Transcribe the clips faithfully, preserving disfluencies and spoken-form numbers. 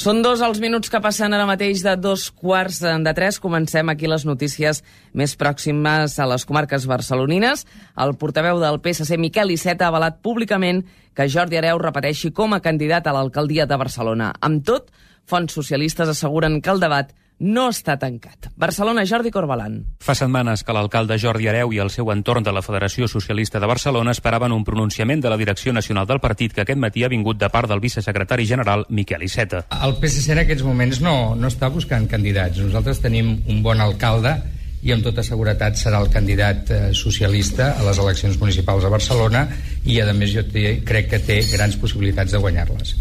Són dos els minuts que passen ara mateix de dos quarts de tres. Comencem aquí les notícies més pròximes a les comarques barcelonines. El portaveu del P S C, Miquel Iceta, ha avalat públicament que Jordi Hereu repeteixi com a candidat a l'alcaldia de Barcelona. Amb tot, fonts socialistes asseguren que el debat no està tancat. Barcelona, Jordi Corbalan. Fa setmanes que l'alcalde Jordi Hereu i el seu entorn de la Federació Socialista de Barcelona esperaven un pronunciament de la direcció nacional del partit que aquest matí ha vingut de part del vicesecretari general Miquel Iceta. El P S C en aquests moments no, no està buscant candidats. Nosaltres tenim un bon alcalde i amb tota seguretat serà el candidat eh, socialista a les eleccions municipals a Barcelona i, a més, jo té, crec que té grans possibilitats de guanyar-les.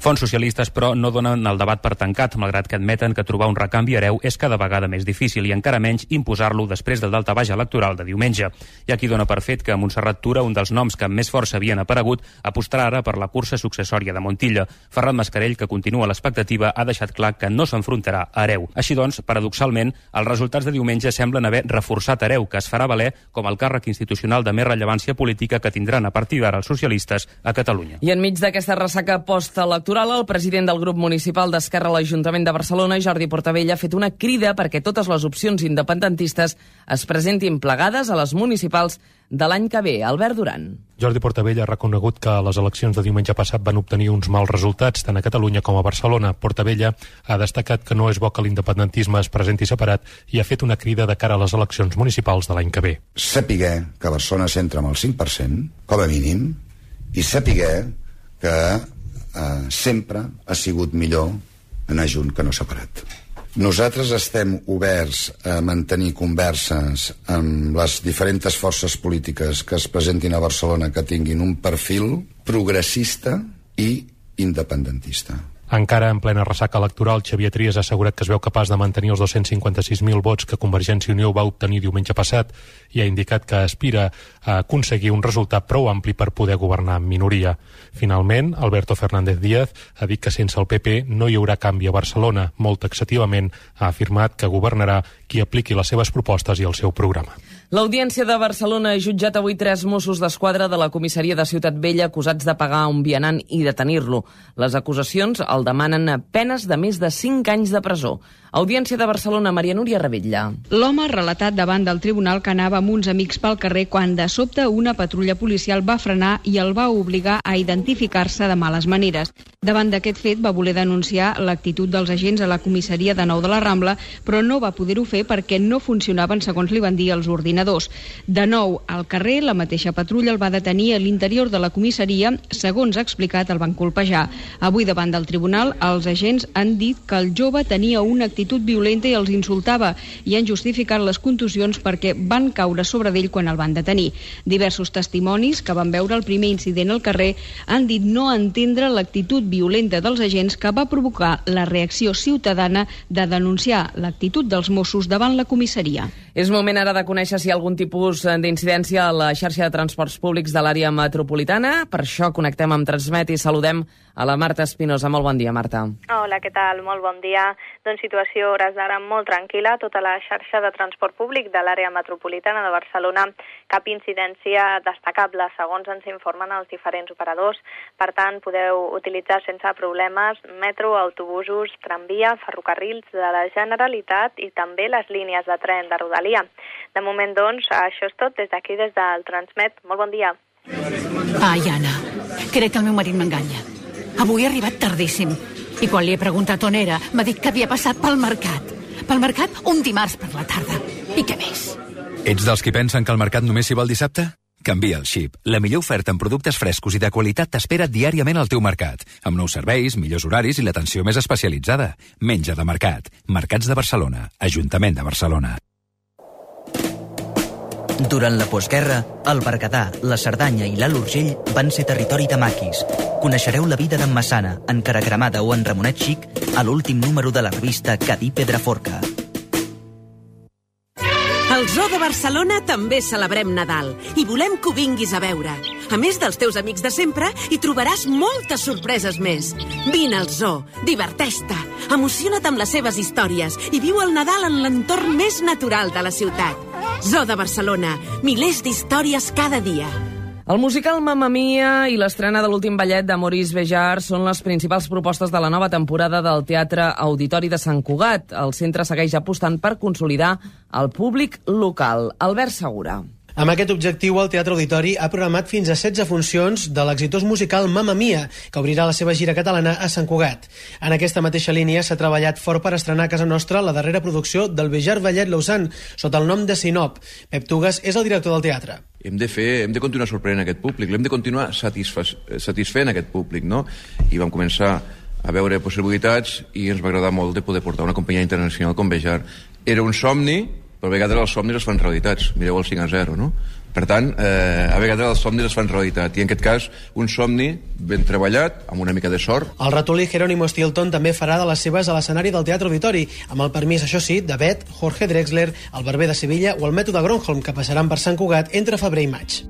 Fonts socialistes, però, no donen el debat per tancat, malgrat que admeten que trobar un recanvi a Hereu és cada vegada més difícil i encara menys imposar-lo després del daltabaix electoral de diumenge. Hi ha qui dona per fet que Montserrat Tura, un dels noms que amb més força havien aparegut, apostarà ara per la cursa successòria de Montilla. Ferran Mascarell, que continua l'expectativa, ha deixat clar que no s'enfrontarà a Hereu. Així doncs, paradoxalment, els resultats de diumenge semblen haver reforçat Hereu, que es farà valer com el càrrec institucional de més rellevància política que tindran a partir d'ara els socialistes a Catalunya. I enmig d'aquesta ressaca postelectoral, el president del grup municipal d'Esquerra a l'Ajuntament de Barcelona, Jordi Portabella, ha fet una crida perquè totes les opcions independentistes es presentin plegades a les municipals de l'any que ve. Albert Duran. Jordi Portabella ha reconegut que les eleccions de diumenge passat van obtenir uns mals resultats tant a Catalunya com a Barcelona. Portabella ha destacat que no és bo que l'independentisme es presenti separat i ha fet una crida de cara a les eleccions municipals de l'any que ve. Sapiguer que Barcelona s'entra amb el cinc per cent, com a mínim, i sapiguer que Uh, sempre ha sigut millor anar junt que no separat. Nosaltres estem oberts a mantenir converses amb les diferents forces polítiques que es presentin a Barcelona que tinguin un perfil progressista i independentista. Encara en plena ressaca electoral, Xavier Trias ha assegurat que es veu capaç de mantenir els dos-cents cinquanta-sis mil vots que Convergència i Unió va obtenir diumenge passat i ha indicat que aspira a aconseguir un resultat prou ampli per poder governar en minoria. Finalment, Alberto Fernández Díaz ha dit que sense el P P no hi haurà canvi a Barcelona. Molt taxativament ha afirmat que governarà qui apliqui les seves propostes i el seu programa. L'Audiència de Barcelona ha jutjat avui tres Mossos d'Esquadra de la comissaria de Ciutat Vella acusats de pagar un vianant i detenir-lo. Les acusacions el demanen penes de més de cinc anys de presó. Audiència de Barcelona, Maria Núria Ravella. L'home ha relatat davant del tribunal que anava amb uns amics pel carrer quan de sobte una patrulla policial va frenar i el va obligar a identificar-se de males maneres. Davant d'aquest fet va voler denunciar l'actitud dels agents a la comissaria de Nou de la Rambla, però no va poder-ho fer perquè no funcionaven segons li van dir els ordinadors. De nou, al carrer, la mateixa patrulla el va detenir a l'interior de la comissaria. Segons ha explicat, el van colpejar. Avui, davant del tribunal, els agents han dit que el jove tenia una actitud violenta i els insultava i han justificat les contusions perquè van caure sobre d'ell quan el van detenir. Diversos testimonis que van veure el primer incident al carrer han dit no entendre l'actitud violenta dels agents que va provocar la reacció ciutadana de denunciar l'actitud dels Mossos davant la comissaria. És moment ara de conèixer si hi ha algun tipus d'incidència a la xarxa de transports públics de l'àrea metropolitana. Per això connectem amb Transmet i saludem a la Marta Espinosa. Molt bon dia, Marta. Hola, què tal? Molt bon dia. Doncs situació hores d'ara molt tranquil·la a tota la xarxa de transport públic de l'àrea metropolitana de Barcelona. Cap incidència destacable, segons ens informen els diferents operadors. Per tant, podeu utilitzar sense problemes metro, autobusos, tramvia, ferrocarrils de la Generalitat i també les línies de tren de Rodalia. De moment, doncs, això és tot des d'aquí, des del Transmet. Molt bon dia. Ai, Anna, crec que el meu marit m'enganya. Avui ha arribat tardíssim i quan li he preguntat on era m'ha dit que havia passat pel mercat. Pel mercat un dimarts per la tarda. I què més? Ets dels qui pensen que el mercat només hi va el dissabte? Canvia el xip. La millor oferta en productes frescos i de qualitat t'espera diàriament al teu mercat, amb nous serveis, millors horaris i l'atenció més especialitzada. Menja de Mercat. Mercats de Barcelona. Ajuntament de Barcelona. Durant la postguerra, el Berguedà, la Cerdanya i l'Alt Urgell van ser territori de maquis. Coneixereu la vida d'en Massana, en Caracremada o en Ramonet Xic a l'últim número de la revista Cadí Pedraforca. Al Zoo de Barcelona també celebrem Nadal i volem que ho vinguis a veure. A més dels teus amics de sempre, hi trobaràs moltes sorpreses més. Vine al Zoo, diverteix-te, emociona't amb les seves històries i viu el Nadal en l'entorn més natural de la ciutat. Zoo de Barcelona, milers d'històries cada dia. El musical Mamma Mia i l'estrena de l'últim ballet de Maurice Béjart són les principals propostes de la nova temporada del Teatre Auditori de Sant Cugat. El centre segueix apostant per consolidar el públic local. Albert Segura. Amb aquest objectiu, el Teatre Auditori ha programat fins a setze funcions de l'exitós musical Mamma Mia, que obrirà la seva gira catalana a Sant Cugat. En aquesta mateixa línia s'ha treballat fort per estrenar a casa nostra la darrera producció del Béjart Ballet Lausanne, sota el nom de Sinop. Pep Tugas és el director del teatre. Hem de fer, hem de continuar sorprenent aquest públic, l'hem de continuar satisfa satisfent aquest públic, no? I vam començar a veure possibilitats i ens va agradar molt de poder portar una companyia internacional com Béjart. Era un somni, però a vegades els somnis es fan realitats. Mireu el cinc a zero, no? Per tant, eh, a vegades els somnis es fan realitat. I en aquest cas, un somni ben treballat, amb una mica de sort. El ratolí Jerónimo Stilton també farà de les seves a l'escenari del Teatre Auditori, amb el permís, això sí, de Bet, Jorge Drexler, el Barber de Sevilla o el Mètode Gronholm, que passaran per Sant Cugat entre febrer i maig.